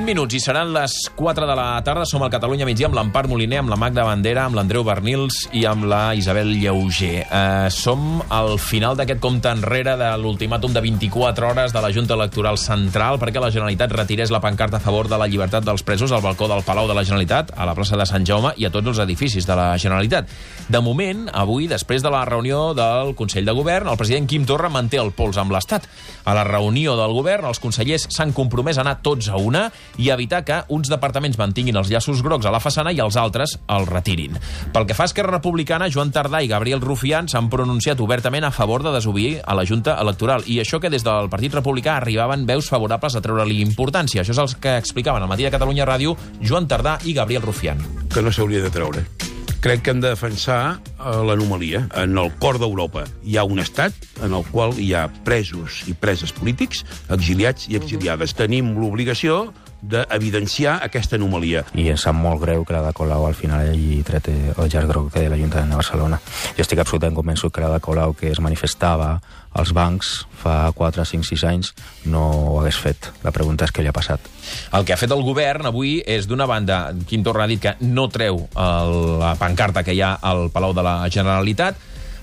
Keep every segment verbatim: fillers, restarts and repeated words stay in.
vint minuts i seran les quatre de la tarda. Som al Catalunya migdia amb l'Empar Moliner, amb la Magda Bandera, amb l'Andreu Bernils i amb la Isabel Lleuger. Eh, som al final d'aquest compte enrere de l'ultimàtum de vint-i-quatre hores de la Junta Electoral Central perquè la Generalitat retirés la pancarta a favor de la llibertat dels presos al balcó del Palau de la Generalitat, a la plaça de Sant Jaume i a tots els edificis de la Generalitat. De moment, avui, després de la reunió del Consell de Govern, el president Quim Torra manté el pols amb l'Estat. A la reunió del Govern, els consellers s'han compromès a anar tots a una i evitar que uns departaments mantinguin els llaços grocs a la façana i els altres els retirin. Pel que fa a Esquerra Republicana, Joan Tardà i Gabriel Rufián s'han pronunciat obertament a favor de desobeir a la Junta Electoral, i això que des del Partit Republicà arribaven veus favorables a treure-li importància. Això és el que explicaven al Matí de Catalunya Ràdio Joan Tardà i Gabriel Rufián. Que no s'hauria de treure. Crec que hem de defensar l'anomalia. En el cor d'Europa hi ha un estat en el qual hi ha presos i preses polítics, exiliats i exiliades. Tenim l'obligació d'evidenciar aquesta anomalia. I em sap molt greu que la de Colau al final hagi tret el llaç groc de l'Ajuntament de Barcelona. Jo estic absolutament convençut que la de Colau, que es manifestava als bancs fa quatre, cinc, sis anys, no ho hagués fet. La pregunta és què li ha passat. El que ha fet el govern avui és, d'una banda, Quim Torra ha dit que no treu el, la pancarta que hi ha al Palau de la Generalitat,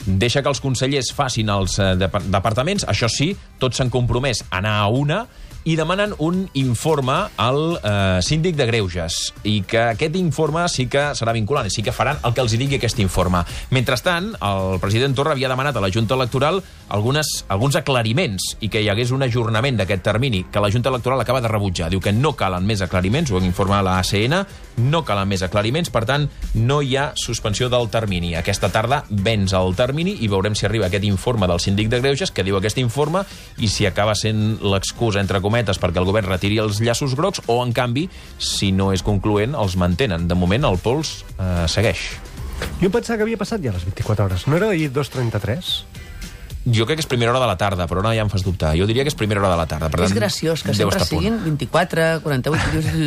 deixa que els consellers facin els eh, departaments, això sí, tots s'han compromès a anar a una, i demanen un informe al eh, síndic de Greuges, i que aquest informe sí que serà vinculant, i sí que faran el que els digui aquest informe. Mentrestant, el president Torra havia demanat a la Junta Electoral algunes, alguns aclariments i que hi hagués un ajornament d'aquest termini, que la Junta Electoral acaba de rebutjar. Diu que no calen més aclariments, ho ha informat la A C N, no calen més aclariments, per tant, no hi ha suspensió del termini. Aquesta tarda venç el termini i veurem si arriba aquest informe del síndic de Greuges, que diu aquest informe, i si acaba sent l'excusa, entre cometes, perquè el govern retiri els llaços grocs, o, en canvi, si no és concloent, els mantenen. De moment, el pols eh, segueix. Jo pensava que havia passat ja les vint-i-quatre hores. No era ahir dos trenta-tres? Jo crec que és primera hora de la tarda, però ara ja em fas dubtar. Jo diria que és primera hora de la tarda. Per tant, és graciós que sempre siguin vint-i-quatre, quaranta-vuit...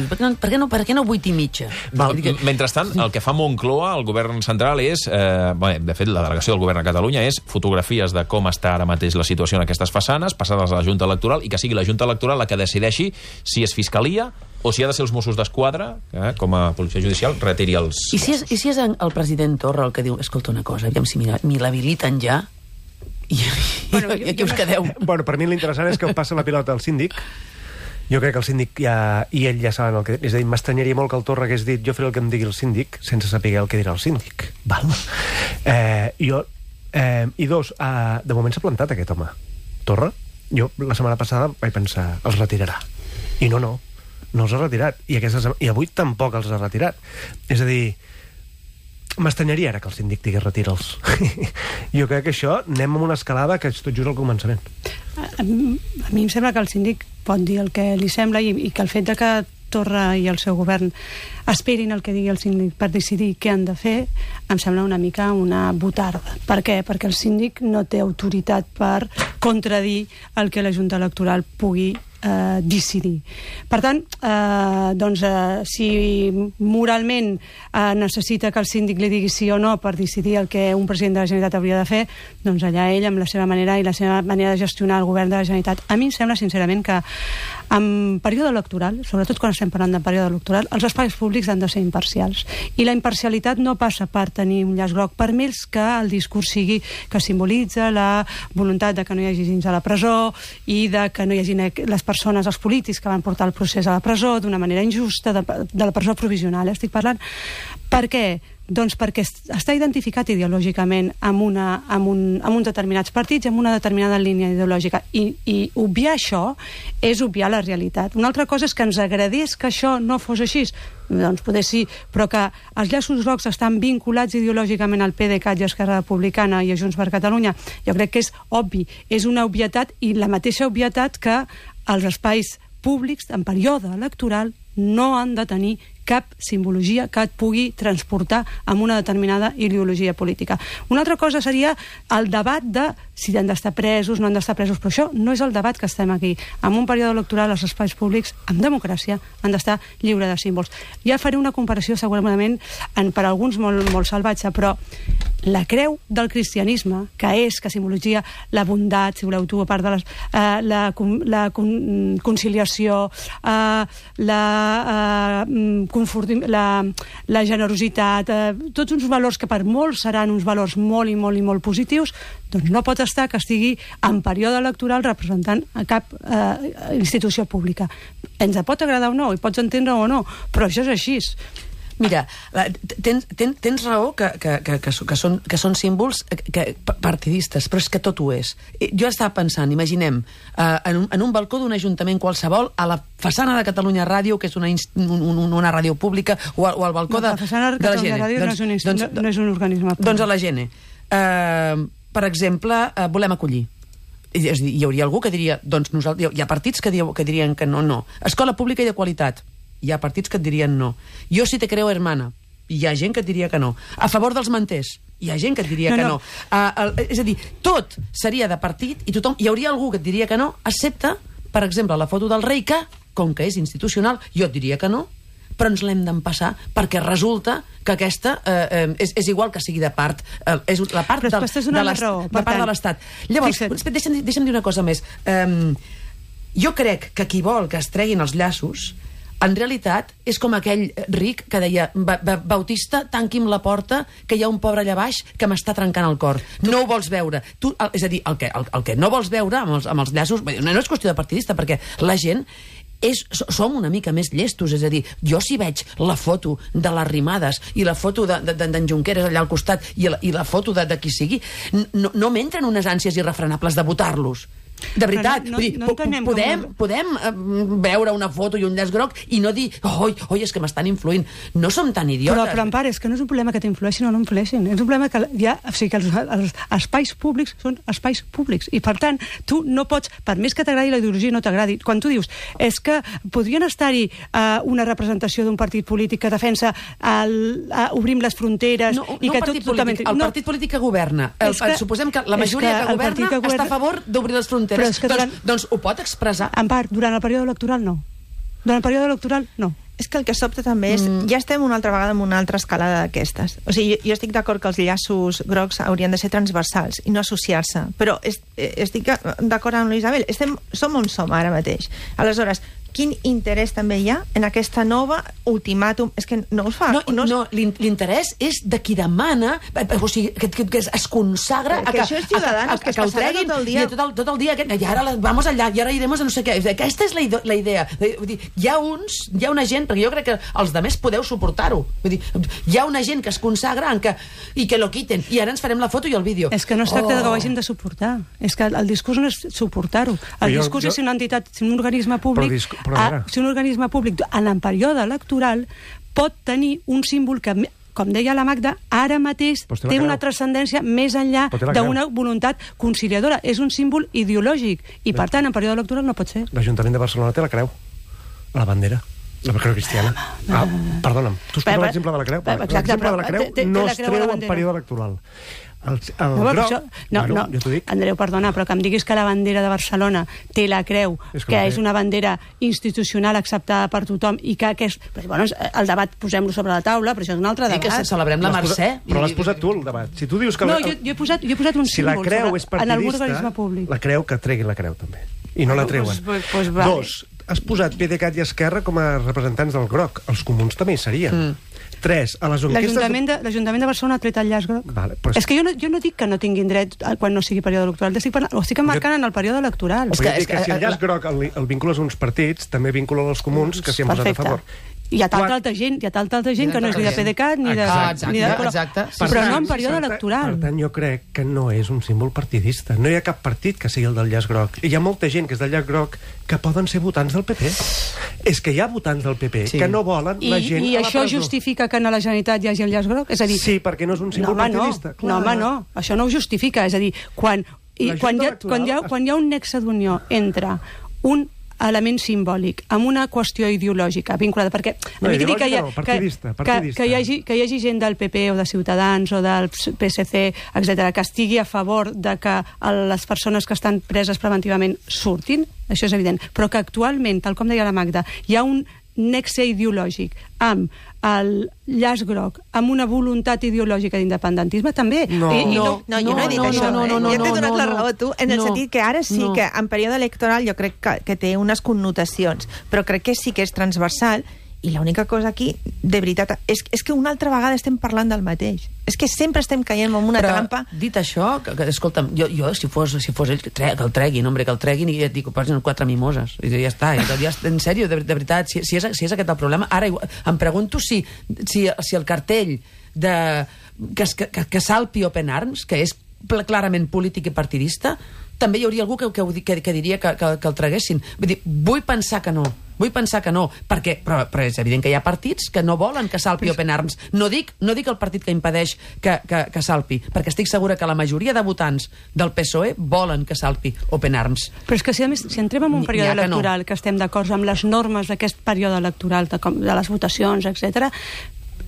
Per què no, per què no, per què no vuit i mitja? Val, mentrestant, el que fa Moncloa, el govern central, és... Eh, bé, de fet, la delegació del govern a Catalunya és fotografies de com està ara mateix la situació en aquestes façanes, passades a la Junta Electoral, i que sigui la Junta Electoral la que decideixi si és Fiscalia o si ha de ser els Mossos d'Esquadra, eh, com a policia judicial, retiri els... I si és, i si és el president Torra el que diu, escolta una cosa, aviam si me l'habiliten ja, i, bueno, i aquí us quedeu. Bueno, per mi l'interessant és que passa la pilota al síndic. Jo crec que el síndic ja, i ell ja saben el que... És a dir, m'estranyaria molt que el Torra hagués dit jo faré el que em digui el síndic sense saber el que dirà el síndic. Val? Eh, jo, eh, I dos, eh, de moment s'ha plantat aquest home. Torra, jo la setmana passada vaig pensar, els retirarà. I no, no, no els ha retirat. I, aquestes, i avui tampoc els ha retirat. És a dir, m'estranyaria ara que el síndic digués retira'ls. Jo crec que això anem amb una escalada que és tot just al començament. A, a, a mi em sembla que el síndic pot dir el que li sembla i, i que el fet de que Torra i el seu govern esperin el que digui el síndic per decidir què han de fer, em sembla una mica una botarda. Per què? Perquè el síndic no té autoritat per contradir el que la Junta Electoral pugui eh, decidir. Per tant, eh, doncs, eh, si moralment eh, necessita que el síndic li digui sí o no per decidir el que un president de la Generalitat hauria de fer, doncs allà ell, amb la seva manera i la seva manera de gestionar el govern de la Generalitat. A mi em sembla, sincerament, que en període electoral, sobretot quan estem parlant de període electoral, els espais públics han de ser imparcials. I la imparcialitat no passa per tenir un llaç groc, per més que el discurs sigui que simbolitza la voluntat de que no hi hagi gens a la presó i de que no hi hagi les persones, els polítics que van portar el procés a la presó d'una manera injusta, de, de la presó provisional, estic parlant. Per què? Doncs perquè està identificat ideològicament amb, una, amb, un, amb uns determinats partits i amb una determinada línia ideològica. I, i obviar això és obviar la realitat. Una altra cosa és que ens agradés que això no fos així. Doncs poder sí, però que els llaços grocs estan vinculats ideològicament al PDeCAT i a Esquerra Republicana i a Junts per Catalunya, jo crec que és obvi. És una obvietat, i la mateixa obvietat que els espais públics en període electoral no han de tenir cap simbologia que et pugui transportar amb una determinada ideologia política. Una altra cosa seria el debat de si han d'estar presos, no han d'estar presos, però això no és el debat que estem aquí. En un període electoral, els espais públics, en democràcia, han d'estar lliure de símbols. Ja faré una comparació segurament en, per alguns molt, molt salvatge, però la creu del cristianisme, que és, que simbologia la bondat, si voleu tu, a part de les, eh, la, la con, conciliació, eh, la, eh, confortim, la, la generositat, eh, tots uns valors que per molts seran uns valors molt i molt i molt positius, doncs no pot estar que estigui en període electoral representant a cap eh, institució pública. Ens pot agradar o no, i pots entendre o no, però això és així. Mira, tens, tens, tens raó que, que, que, que, que, són, que són símbols que, partidistes, però és que tot ho és. Jo estava pensant, imaginem, eh, en, un, en un balcó d'un ajuntament qualsevol, a la façana de Catalunya Ràdio, que és una, un, una ràdio pública, o, o al balcó no, de, la façana de, de la Gene. Ràdio doncs, no, és un, doncs, no, no és un organisme públic. Doncs a la Gene. Eh, per exemple, eh, volem acollir. És a dir, hi hauria algú que diria, doncs nosaltres, hi ha partits que, diu, que dirien que no, no. Escola pública i de qualitat. Hi ha partits que et dirien no. Jo si te creo hermana. Hi ha gent que et diria que no. A favor dels manters. Hi ha gent que et diria no, que no. no. Uh, uh, és a dir, tot seria de partit i tothom, hi hauria algú que et diria que no, excepte, per exemple, la foto del rei que, com que és institucional, jo et diria que no, però ens l'hem d'empassar perquè resulta que aquesta eh, eh, és, és igual que sigui de part, eh, és la part, del, de, raó, de, part de l'Estat. Llavors, deixa'm, deixa'm dir una cosa més. Um, jo crec que qui vol que es treguin els llaços en realitat és com aquell ric que deia, ba ba Bautista, tanqui'm la porta, que hi ha un pobre allà baix que m'està trencant el cor. Tu... No ho vols veure. Tu, el, és a dir, el que, el, el que no vols veure amb els, amb els llaços, no és qüestió de partidista, perquè la gent és, som una mica més llestos, és a dir, jo si veig la foto de les Arrimadas i la foto d'en de, de, de Junqueras allà al costat i la, i la foto de, de qui sigui, no, no m'entren unes ànsies irrefrenables de votar-los. De veritat, no, no, no podem, com... podem uh, veure una foto i un llaç groc i no dir, oi, oi, és que m'estan influint. No som tan idiotes. Però, però Empar, és que no és un problema que t'influeixin o no influeixin. És un problema que, ja, o sigui, que els, els espais públics són espais públics. I, per tant, tu no pots, per més que t'agradi la ideologia no t'agradi, quan tu dius, és que podrien estar-hi uh, una representació d'un partit polític que defensa el, uh, obrim les fronteres... No, i no que partit tot, polític, el no. partit polític que governa. El, que, suposem que la majoria que, que governa que governa... està a favor d'obrir les fronteres. Però és que durant... doncs, doncs ho pot expressar. En part, durant el període electoral no. Durant el període electoral no. És que el que sobta també és... Mm. Ja estem una altra vegada en una altra escalada d'aquestes. O sigui, jo, jo estic d'acord que els llaços grocs haurien de ser transversals i no associar-se. Però est, estic d'acord amb l'Isabel. Estem, som on som ara mateix. Aleshores, quin interès també hi ha en aquesta nova ultimàtum? És que no us fa... No, no, no l'interès és de qui demana, o sigui, que, que, que es consagra que, que a, això és Ciudadanos, a, a, a, que, que, que ho treguin tot el dia. I tot el, tot el dia, i ara vamos allà, i ara irem a no sé què. Aquesta és la, la idea. Vull dir, hi ha uns, hi ha una gent, perquè jo crec que els demés podeu suportar-ho. Vull dir, hi ha una gent que es consagra en que, i que lo quiten, i ara ens farem la foto i el vídeo. És que no es tracta oh. de que ho hagin de suportar. És que el discurs no és suportar-ho. El jo, discurs jo... és una entitat, un organisme públic... A, si un organisme públic en el període electoral pot tenir un símbol que, com deia la Magda, ara mateix té una transcendència més enllà d'una voluntat conciliadora. És un símbol ideològic i, per tant, en període electoral no pot ser. L'Ajuntament de Barcelona té la creu, la bandera. La creu cristiana. Ah, perdona'm, tu has posat l'exemple de la creu. L'exemple de la creu no es treu en període electoral. El, el no, groc, això, no, bueno, no, jo Andreu, perdona, però que em diguis que la bandera de Barcelona té la creu, és que, que és una bandera institucional acceptada per tothom i que, que és... Però, bueno, el debat posem-lo sobre la taula, però això és un altre debat. Sí, que celebrem la Mercè. Però l'has posat tu, el debat. Si tu dius que... No, jo, jo, he posat, jo he posat un si símbol la creu sobre, és partidista, en algun organisme públic. La creu, que tregui la creu, també. I no la treuen. Pues, pues, vale. Dos, has posat PDeCAT i Esquerra com a representants del groc. Els comuns també hi serien. Mm. Tres, a les enquestes... L'Ajuntament de, l'Ajuntament de Barcelona ha tret el llaç groc. Vale, pues... És que jo no, jo no dic que no tinguin dret quan no sigui període electoral, estic, ho estic emmarcant jo... en el període electoral. És que, és que, que si el llaç groc el, el vincules a uns partits, també vincula els comuns que s'hi han posat a favor. Hi ha tanta altra gent, hi ha tanta altra gent que no és ni de PDeCAT ni de... Exacte, ni de exacte. Però no en període electoral. Per tant, jo crec que no és un símbol partidista. No hi ha cap partit que sigui el del llaç groc. I hi ha molta gent que és del llaç groc que poden ser votants del P P. És que hi ha votants del P P sí. que no volen I, la gent I a la això presó. Justifica que a la Generalitat hi hagi el llaç groc? És a dir, sí, perquè no és un símbol no, partidista. No, no, home, no. Això no ho justifica. És a dir, quan, i, quan, hi ha, quan, hi ha, quan hi ha un nexe d'unió entre un element simbòlic amb una qüestió ideològica vinculada, perquè no, ideològica que, no, partidista, partidista. Que, que, hi hagi, que hi hagi gent del P P o de Ciutadans o del P S C, etcètera, que estigui a favor de que les persones que estan preses preventivament surtin, això és evident, però que actualment, tal com deia la Magda, hi ha un nexe ideològic, amb el llaç groc, amb una voluntat ideològica d'independentisme, també. No, I, i no, no, jo no he dit no, això. no, no, no, jo t'he donat no, la no, raó a tu, en el no, sentit que ara sí no. que en període electoral jo crec que, que té unes connotacions, però crec que sí que és transversal, i l'única cosa aquí, de veritat, és, és que una altra vegada estem parlant del mateix. És que sempre estem caient en una Però, trampa. Dit això, que, que, escolta'm, jo, jo si, fos, si fos ell, que, tre, que el treguin, hombre, que el treguin i et dic, posen quatre mimoses. I ja està, ja, ja, en sèrio, de, de veritat, si, si, és, si és aquest el problema. Ara em pregunto si, si, si el cartell de, que, que, que salpi Open Arms, que és clarament polític i partidista, també hi hauria algú que, que, que, que diria que, que, que el traguessin. Vull dir, vull pensar que no. Vull pensar que no, perquè, però, però és evident que hi ha partits que no volen que salpi Open Arms. No dic, no dic el partit que impedeix que, que, que salpi, perquè estic segura que la majoria de votants del P S O E volen que salpi Open Arms. Però és que si, a més, si entrem en un període que electoral, no. que estem d'acord amb les normes d'aquest període electoral, de, com, de les votacions, etcètera,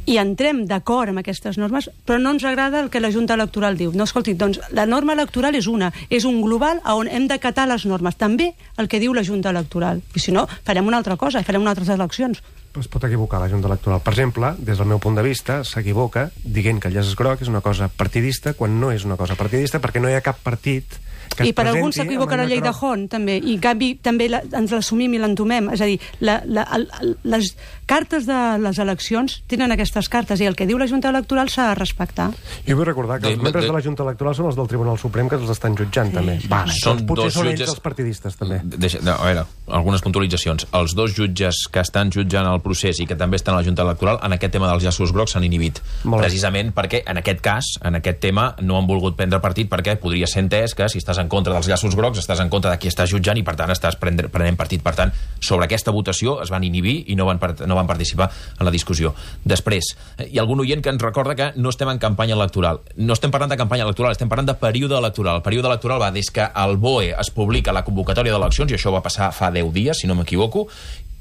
i entrem d'acord amb aquestes normes, però no ens agrada el que la Junta Electoral diu. No, escolti, doncs la norma electoral és una, és un global on hem d'acatar les normes, també el que diu la Junta Electoral. I si no, farem una altra cosa, farem unes altres eleccions. Però es pot equivocar la Junta Electoral. Per exemple, des del meu punt de vista, s'equivoca dient que el llaç groc és una cosa partidista quan no és una cosa partidista, perquè no hi ha cap partit que I per alguns s'equivoca la llei de Hont, també, i en canvi també la, ens l'assumim i l'entomem. És a dir, la, la, el, les cartes de les eleccions tenen aquestes cartes, i el que diu la Junta Electoral s'ha de respectar. Jo vull recordar que els De- membres de- de la Junta Electoral són els del Tribunal Suprem que els estan jutjant, sí. també. Va, Són doncs potser dos són jutges- ells els partidistes, també. Deixa, no, a veure, algunes puntualitzacions. Els dos jutges que estan jutjant el procés i que també estan a la Junta Electoral en aquest tema dels llaços grocs s'han inhibit. Molt bé. Precisament perquè en aquest cas, en aquest tema, no han volgut prendre partit perquè podria ser entès que si estàs en contra dels llaços grocs estàs en contra de qui estàs jutjant i per tant estàs prendre, prenent partit. Per tant, sobre aquesta votació es van inhibir i no van, part, no van participar en la discussió. Després, hi ha algun oient que ens recorda que no estem en campanya electoral. No estem parlant de campanya electoral, estem parlant de període electoral. El període electoral va des que el B O E es publica la convocatòria d'eleccions, i això va passar fa deu dies, si no m'equivoco,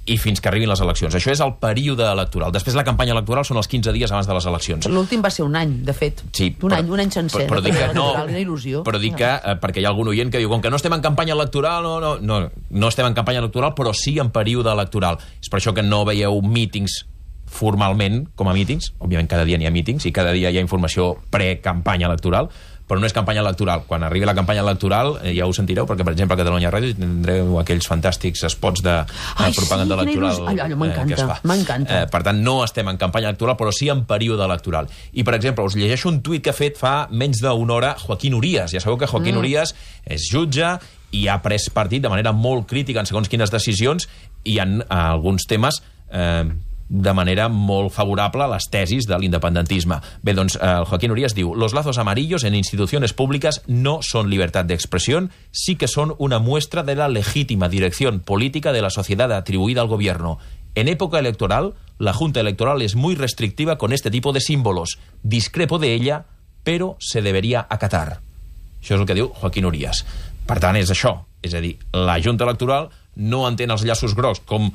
i fins que arribin les eleccions. Això és el període electoral. Després la campanya electoral són els quinze dies abans de les eleccions. L'últim va ser un any, de fet. Sí, un però- any, un any sencer. Però, però dic que no, Una il·lusió. però dic que, eh, perquè hi ha algun oient que diu, com que no estem en campanya electoral, no, no, no, no estem en campanya electoral, però sí en període electoral. És per això que no veieu mítings formalment com a mítings. Òbviament cada dia n'hi ha mítings i cada dia hi ha informació pre-campanya electoral, però no és campanya electoral. Quan arribi la campanya electoral, eh, ja ho sentireu, perquè, per exemple, a Catalunya Ràdio tindreu aquells fantàstics spots de, de Ai, propaganda sí, quina electoral il·lusió. Allò, allò m'encanta, eh, que es fa. m'encanta. Eh, per tant, no estem en campanya electoral, però sí en període electoral. I, per exemple, us llegeixo un tuit que ha fet fa menys d'una hora Joaquín Urías. Ja sabeu que Joaquín mm. Urías és jutge i ha pres partit de manera molt crítica en segons quines decisions i en eh, alguns temes eh, de manera molt favorable a les tesis de l'independentisme. Bé, doncs, eh, Joaquín Urías diu: los lazos amarillos en instituciones públicas no son libertad de expresión, sí que son una muestra de la legítima dirección política de la sociedad atribuida al gobierno. En época electoral, la Junta Electoral es muy restrictiva con este tipo de símbolos. Discrepo de ella, pero se debería acatar. Això és el que diu Joaquín Urías. Per tant, és això. És a dir, la Junta Electoral no entén els llaços grocs com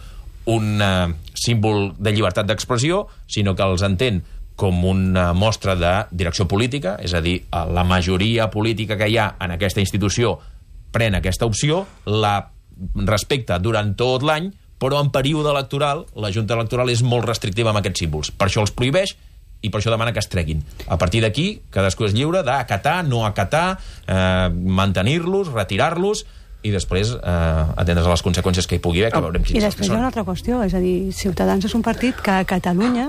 un uh, símbol de llibertat d'expressió, sinó que els entén com una mostra de direcció política, és a dir, la majoria política que hi ha en aquesta institució pren aquesta opció, la respecta durant tot l'any, però en període electoral la Junta Electoral és molt restrictiva amb aquests símbols. Per això els prohibeix i per això demana que es treguin. A partir d'aquí, cadascú és lliure d'acatar, no acatar, eh, mantenir-los, retirar-los, i després eh, atendre's a les conseqüències que hi pugui haver, que veurem I quines després hi ha són. una altra qüestió, és a dir, Ciutadans és un partit que a Catalunya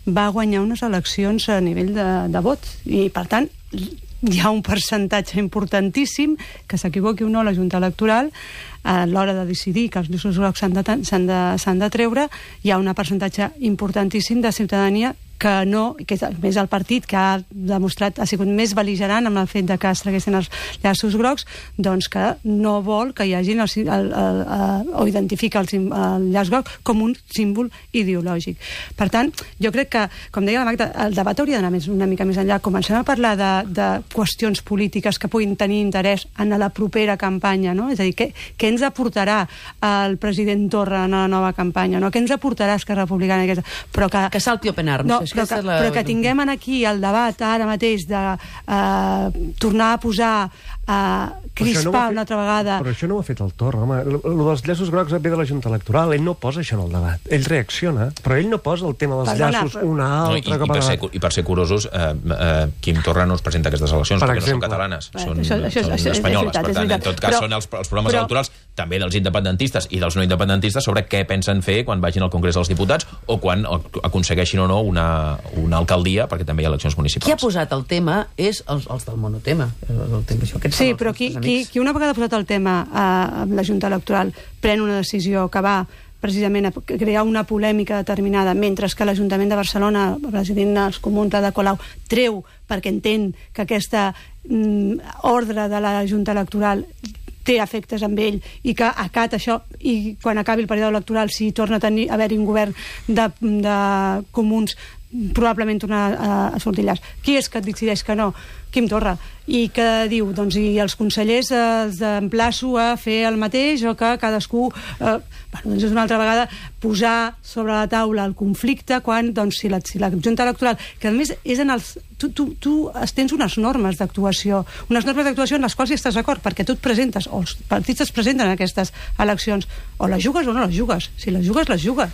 va guanyar unes eleccions a nivell de, de vot, i per tant hi ha un percentatge importantíssim que s'equivoqui o no la Junta Electoral a l'hora de decidir que els llaços grocs s'han de, s'han de, s'han de treure. Hi ha un percentatge importantíssim de ciutadania que no, que és més el partit que ha demostrat, ha sigut més bel·ligerant amb el fet de que es traguessin els llaços grocs, doncs que no vol que hi hagin el, el, el, el, o identifica el, el llaç groc com un símbol ideològic. Per tant, jo crec que, com deia la Magda, el debat hauria d'anar més, una mica més enllà. Comencem a parlar de, de qüestions polítiques que puguin tenir interès en la propera campanya, no? És a dir, què, què ens aportarà el president Torra en la nova campanya, no? Què ens aportarà Esquerra Republicana aquesta? Però que, Que salti Open Arms, no, és que però, aquesta que, és la- però que tinguem aquí el debat ara mateix de eh, tornar a posar a Però això no ho crispar ha fet- una altra vegada. Però això no ho ha fet el Torra, home. El, el dels llaços grocs ve de la Junta Electoral. Ell no posa això en el debat. Ell reacciona, però ell no posa el tema dels Perdona, llaços però- una No, i, altra i, cap a per ser, debat. I per ser curosos, eh, eh, Quim Torra no es presenta a aquestes eleccions Per perquè exemple. no són catalanes, Eh, són, això- això és- són això és espanyoles. veritat, Per és tant, en veritat. tot cas, Però- són els, els programes però- electorals també dels independentistes i dels no independentistes sobre què pensen fer quan vagin al Congrés dels Diputats o quan aconsegueixin o no una, una alcaldia, perquè també hi ha eleccions municipals. Qui ha posat el tema és els, els del monotema. El, el tema això, aquests Sí, són els però qui, nostres qui, amics. qui una vegada ha posat el tema a, a la Junta Electoral pren una decisió que va precisament a crear una polèmica determinada, mentre que l'Ajuntament de Barcelona, el president dels Comuns, Ada Colau, treu perquè entén que aquesta mm, ordre de la Junta Electoral té efectes amb ell i que acata això i quan acabi el període electoral, si torna a tenir a haver-hi un govern de, de comuns, probablement tornar a, a sortir llars. Qui és que et decideix que no? Quim Torra. I que diu, doncs, i els consellers eh, els emplaço a fer el mateix o que cadascú... Eh, bueno, doncs és una altra vegada posar sobre la taula el conflicte quan, doncs, si la, si la Junta Electoral, que a més és en els... Tu, tu, tu tens unes normes d'actuació, unes normes d'actuació en les quals hi estàs d'acord, perquè tu et presentes, o els partits es presenten en aquestes eleccions, o les jugues o no les jugues. Si les jugues, les jugues.